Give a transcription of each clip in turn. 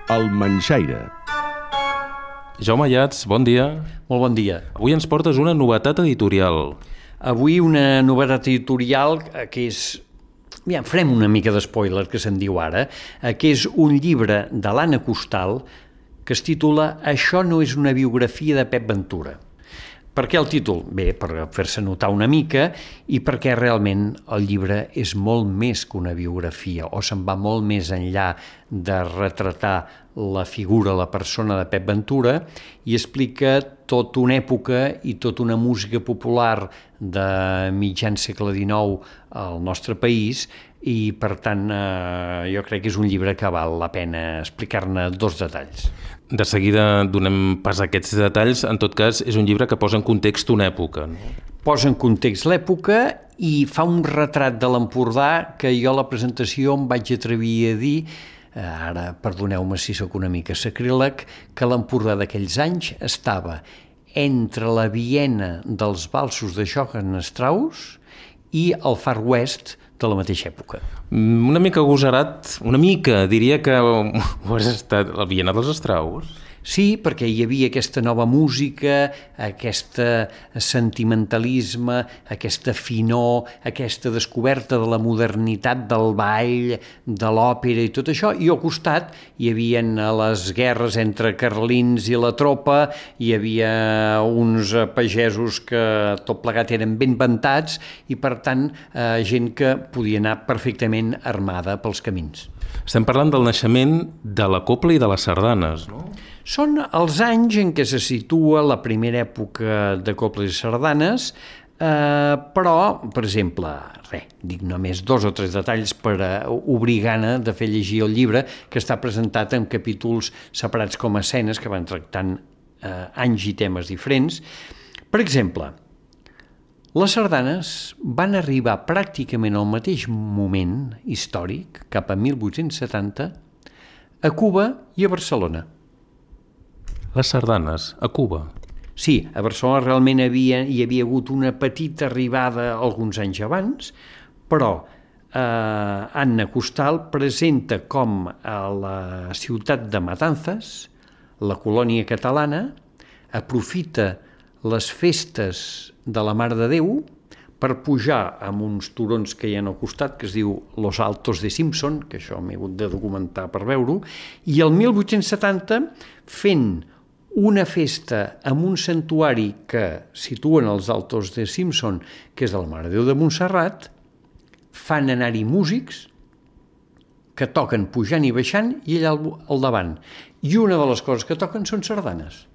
El Manxaire. Jaume Ayats, bon dia. Molt bon dia. Avui ens portes una novetat editorial. Avui una novetat editorial que és... Ja, farem una mica d'espoiler, que se'n diu ara, que és un llibre de l'Anna Costal que es titula Això no és una biografia de Pep Ventura. Per què el títol? Bé, per fer-se notar una mica i perquè realment el llibre és molt més que una biografia o se'n va molt més enllà de retratar la figura, la persona de Pep Ventura i explica tota una època i tota una música popular de mitjan segle XIX al nostre país i per tant jo crec que és un llibre que val la pena explicar-ne dos detalls. De seguida donem pas a aquests detalls. En tot cas, és un llibre que posa en context una època. No? Posa en context l'època i fa un retrat de l'Empordà que jo a la presentació em vaig atrevir a dir, ara perdoneu-me si sóc una mica sacríleg, que l'Empordà d'aquells anys estava entre la Viena dels valsos de Johann Strauss i el Far West de la mateixa època. Una mica agosarat, una mica, diria que ho has estat la Viena dels Strauss. Sí, perquè hi havia aquesta nova música, aquest sentimentalisme, aquesta finor, aquesta descoberta de la modernitat del ball, de l'òpera i tot això, i al costat hi havia les guerres entre carlins i la tropa, hi havia uns pagesos que tot plegat eren ben ventats i per tant gent que podia anar perfectament armada pels camins. Estem parlant del naixement de la copla i de les sardanes, no? Són els anys en què se situa la primera època de coples i sardanes, però, per exemple, dic només 2 o 3 detalls per obrir gana de fer llegir el llibre, que està presentat en capítols separats com a escenes que van tractant anys i temes diferents. Per exemple, les sardanes van arribar pràcticament al mateix moment històric, cap a 1870, a Cuba i a Barcelona. Les sardanes, a Cuba. Sí, a Barcelona realment hi havia hagut una petita arribada alguns anys abans, però Anna Costal presenta com a la ciutat de Matanzas, la colònia catalana, aprofita les festes de la Mare de Déu per pujar amb uns turons que hi ha al costat, que es diu Los Altos de Simpson, que això m'he hagut de documentar per veure-ho, i el 1870 fent una festa amb un santuari que situen als Altos de Simpson, que és de la Mare de Déu de Montserrat, fan anar-hi músics que toquen pujant i baixant i allà al davant. I una de les coses que toquen són sardanes.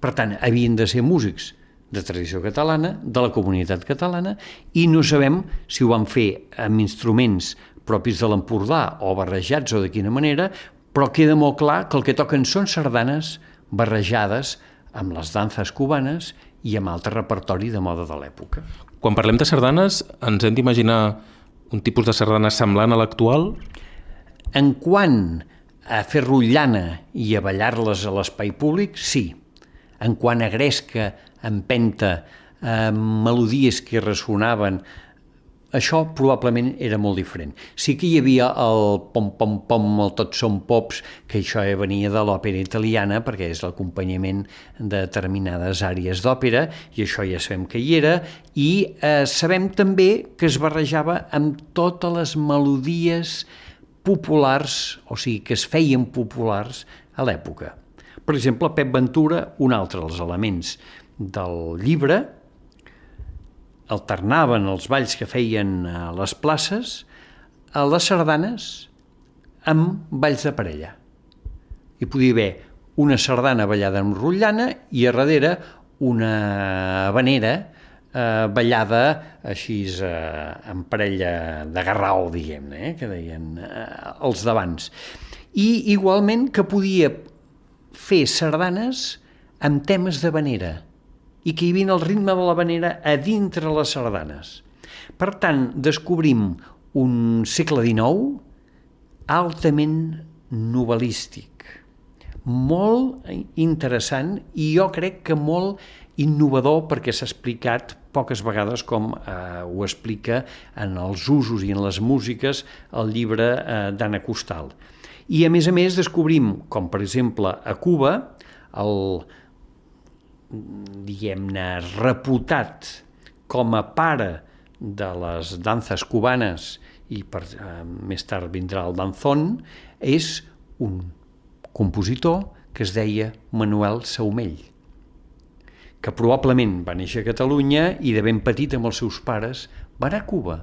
Per tant, havien de ser músics de tradició catalana, de la comunitat catalana, i no sabem si ho van fer amb instruments propis de l'Empordà o barrejats o de quina manera, però queda molt clar que el que toquen són sardanes barrejades amb les danses cubanes i amb altre repertori de moda de l'època. Quan parlem de sardanes, ens hem d'imaginar un tipus de sardana semblant a l'actual? En quant a fer rotllana i a ballar-les a l'espai públic, sí. En quant a gresca, empenta, melodies que ressonaven, això probablement era molt diferent. Sí que hi havia el pom-pom-pom, el tots són pops, que això venia de l'òpera italiana, perquè és l'acompanyament de determinades àrees d'òpera, i això ja sabem que hi era, i sabem també que es barrejava amb totes les melodies populars, o sigui, que es feien populars a l'època. Per exemple, Pep Ventura, un altre dels elements del llibre, alternaven els balls que feien a les places a les sardanes amb balls de parella. Hi podia haver una sardana ballada amb rotllana i a darrere una habanera ballada així en parella de garrao, diguem-ne, que deien els d'abans. I igualment que podia fer sardanes amb temes d'habanera i que hi havia el ritme de l'habanera a dintre les sardanes. Per tant, descobrim un segle XIX altament novel·lístic, molt interessant i jo crec que molt innovador perquè s'ha explicat poques vegades com ho explica en els usos i en les músiques el llibre d'Anna Costal. I a més descobrim, com per exemple a Cuba, el, diguem-ne, reputat com a pare de les danses cubanes, i més tard vindrà el danzón, és un compositor que es deia Manuel Saumell, que probablement va néixer a Catalunya i de ben petit amb els seus pares va anar a Cuba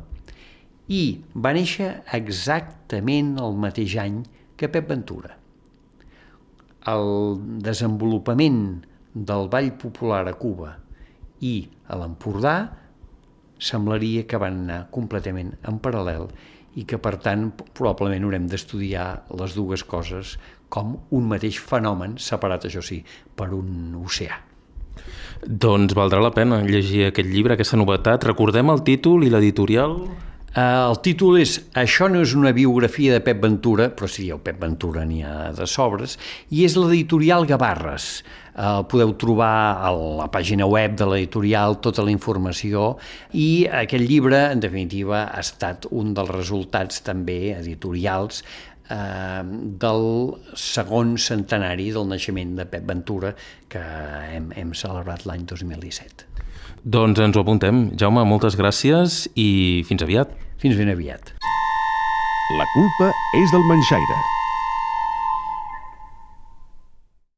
i va néixer exactament el mateix any que Pep Ventura. El desenvolupament del ball popular a Cuba i a l'Empordà semblaria que van anar completament en paral·lel i que, per tant, probablement haurem d'estudiar les dues coses com un mateix fenomen, separat, això sí, per un oceà. Doncs valdrà la pena llegir aquest llibre, aquesta novetat. Recordem el títol i l'editorial? El títol és Això no és una biografia de Pep Ventura, però si dieu Pep Ventura n'hi ha de sobres, i és l'editorial Gavarres. Podeu trobar a la pàgina web de l'editorial tota la informació, i aquest llibre, en definitiva, ha estat un dels resultats també editorials del segon centenari del naixement de Pep Ventura, que hem celebrat l'any 2017. Doncs ens ho apuntem. Jaume, moltes gràcies i fins aviat. Fins ben aviat. La culpa és del Manxaire.